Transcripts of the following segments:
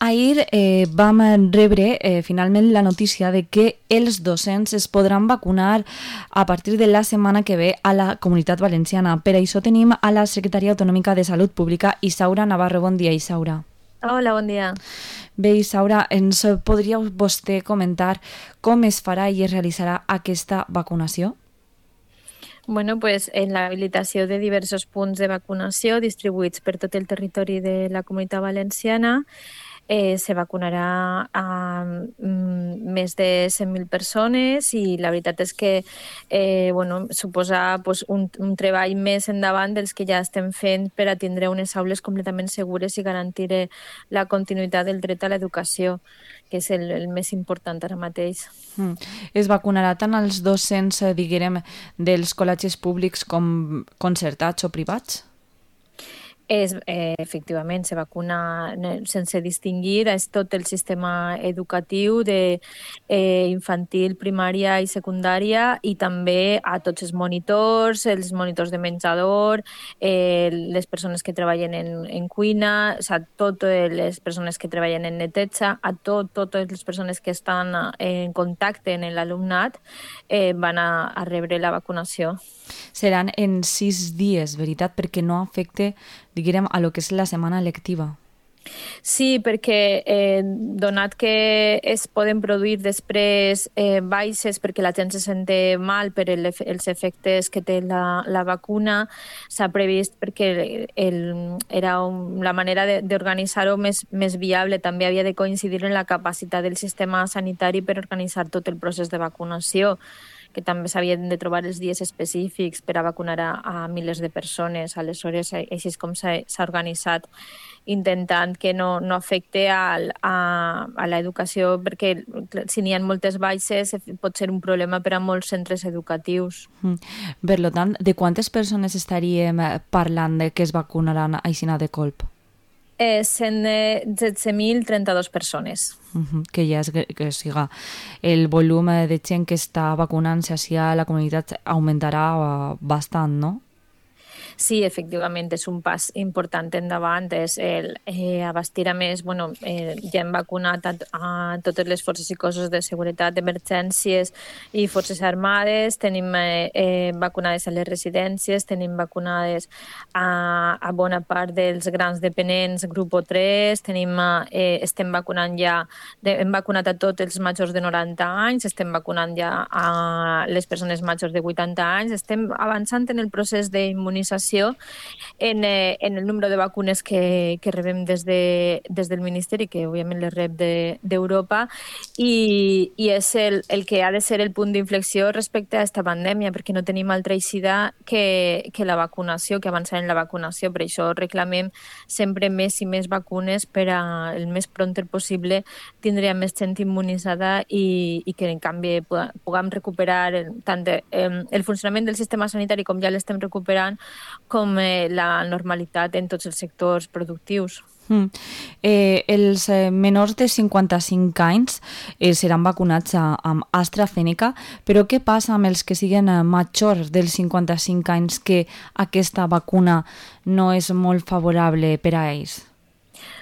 Ahir vam rebre finalment la notícia de que els docents es podran vacunar a partir de la setmana que ve a la Comunitat Valenciana. Per això tenim a la Secretaria Autonòmica de Salut Pública, Isaura Navarro. Bon dia, Isaura. Hola, bon dia. Bé, Isaura, ens podríeu vostè comentar com es farà i es realitzarà aquesta vacunació? Bueno, pues en l'habilitació de diversos punts de vacunació distribuïts per tot el territori de la Comunitat Valenciana se vacunarà a més de 100.000 persones i la veritat és que suposa un treball més endavant dels que ja estem fent per a tindre unes aules completament segures i garantir la continuïtat del dret a l'educació, que és el més important ara mateix. Es vacunarà tant als docents, diguem, dels col·legis públics com concertats o privats? Efectivament, se vacuna sense distingir, és tot el sistema educatiu de infantil, primària i secundària, i també a tots els monitors de menjador, les persones que treballen en cuina, o sigui, totes les persones que treballen en neteja, a totes les persones que estan en contacte amb l'alumnat van a rebre la vacunació. Seran en 6 dies, veritat? Perquè no afecte, diguem, a lo que és la setmana lectiva. Sí, perquè donat que es poden produir després baixes perquè la gent se sente mal per els efectes que té la vacuna, s'ha previst perquè era la manera d'organitzar-ho més viable. També havia de coincidir en la capacitat del sistema sanitari per organitzar tot el procés de vacunació, que també s'havien de trobar els dies específics per a vacunar a milers de persones. Aleshores, així és com s'ha organitzat, intentant que no afecte a l'educació, perquè si n'hi ha moltes baixes pot ser un problema per a molts centres educatius. Per tant, de quantes persones estaríem parlant que es vacunaran així de colp? 17.032 persones. Que ja que siga el volum de gent que està vacunant-se hacia la comunitat augmentarà bastant, no? Sí, efectivament, és un pas important endavant, és abastir a més, ja hem vacunat a totes les forces i cossos de seguretat, emergències i forces armades, tenim vacunades a les residències, tenim vacunades a bona part dels grans dependents, grup 3, estem vacunant ja, hem vacunat a tots els majors de 90 anys, estem vacunant ja a les persones majors de 80 anys, estem avançant en el procés d'immunització en el número de vacunes que rebem des del Ministeri, que òbviament les rep d'Europa, i és el que ha de ser el punt d'inflexió respecte a aquesta pandèmia, perquè no tenim altra eixida que la vacunació, que avançar en la vacunació. Per això reclamem sempre més i més vacunes per a el més prompte possible tindre més gent immunitzada i que en canvi puguem recuperar tant el funcionament del sistema sanitari, com ja l'estem recuperant, com la normalitat en tots els sectors productius. Els menors de 55 anys seran vacunats amb AstraZeneca, però què passa amb els que siguen majors dels 55 anys que aquesta vacuna no és molt favorable per a ells?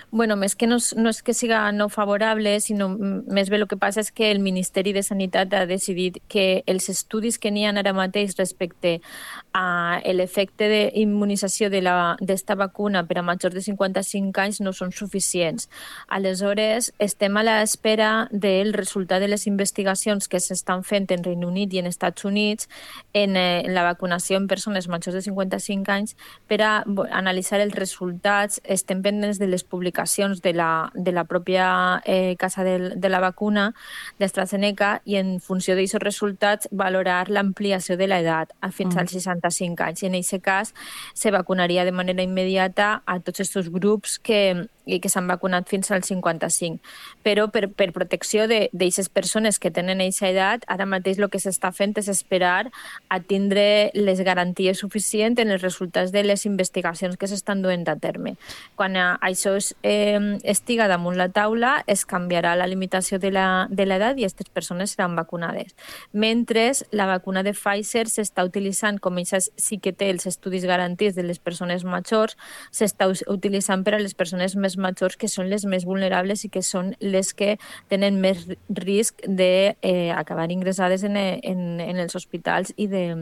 Més que no és que siga no favorable, sinó més bé el que passa és que el Ministeri de Sanitat ha decidit que els estudis que n'hi ha ara mateix respecte a l'efecte d'immunització d'esta vacuna per a majors de 55 anys no són suficients. Aleshores, estem a l'espera del resultat de les investigacions que s'estan fent en Regne Unit i en Estats Units en la vacunació en persones majors de 55 anys per a analitzar els resultats. Estem pendents de les publicacions de la pròpia casa de la vacuna d'AstraZeneca i en funció d'aquests resultats valorar l'ampliació de l'edat fins als 65 anys. I en aquest cas se vacunaria de manera immediata a tots aquests grups que s'han vacunat fins als 55. Però per protecció d'aquestes persones que tenen aquesta edat, ara mateix el que s'està fent és esperar a tindre les garanties suficients en els resultats de les investigacions que s'estan duent a terme. Quan això estiga damunt la taula, es canviarà la limitació de l'edat i aquestes persones seran vacunades. Mentre la vacuna de Pfizer s'està utilitzant, com això sí que té els estudis garantits de les persones majors, s'està utilitzant per a les persones més majors, que són les més vulnerables i que són les que tenen més risc d'acabar ingressades en els hospitals i de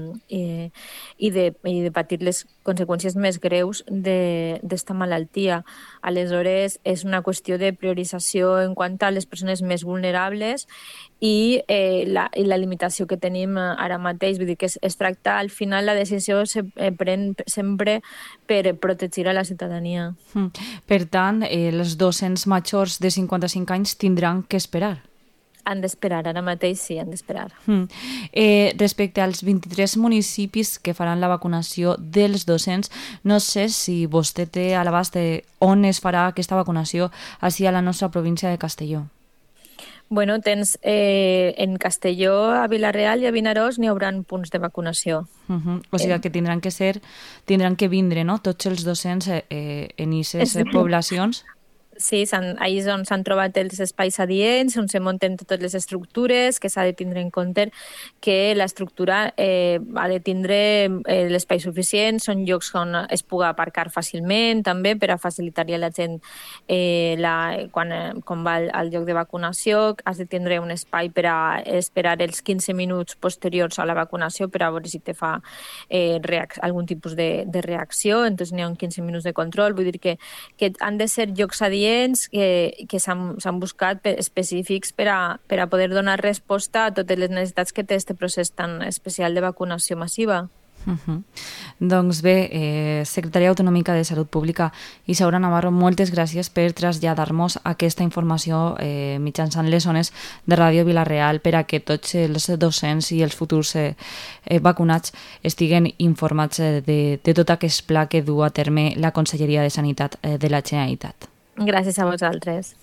patir les conseqüències més greus d'esta malaltia. Aleshores, és una qüestió de priorització en quant a les persones més vulnerables i la limitació que tenim ara mateix. Vull dir que es tracta, al final, la decisió se pren sempre per protegir a la ciutadania. Per tant, els docents majors de 55 anys tindran que esperar. Han d'esperar, ara mateix sí, han d'esperar. Respecte als 23 municipis que faran la vacunació dels docents, no sé si vostè té a l'abast on es farà aquesta vacunació així a la nostra província de Castelló. Bueno, tens en Castelló, a Vila-real i a Vinaròs n'hi haurà punts de vacunació. O sigui que tindran que vindre, no?, tots els docents en aquestes poblacions. Sí, ahí és on s'han trobat els espais adients, on se munten totes les estructures, que s'ha de tindre en compte que l'estructura ha de tindre l'espai suficient, són llocs on es pugui aparcar fàcilment, també per a facilitar-li a la gent quan va al lloc de vacunació. Has de tindre un espai per a esperar els 15 minuts posteriors a la vacunació per a veure si te fa algun tipus de reacció, entonces n'hi ha 15 minuts de control. Vull dir que han de ser llocs adients que s'han buscat específics per a poder donar resposta a totes les necessitats que té aquest procés tan especial de vacunació massiva. Doncs bé, Secretària Autonòmica de Salut Pública Isaura Navarro, moltes gràcies per traslladar-nos aquesta informació mitjançant les ones de Ràdio Vila-real per a que tots els docents i els futurs vacunats estiguen informats de tot aquest pla que du a terme la Conselleria de Sanitat de la Generalitat. Gràcies a vosaltres.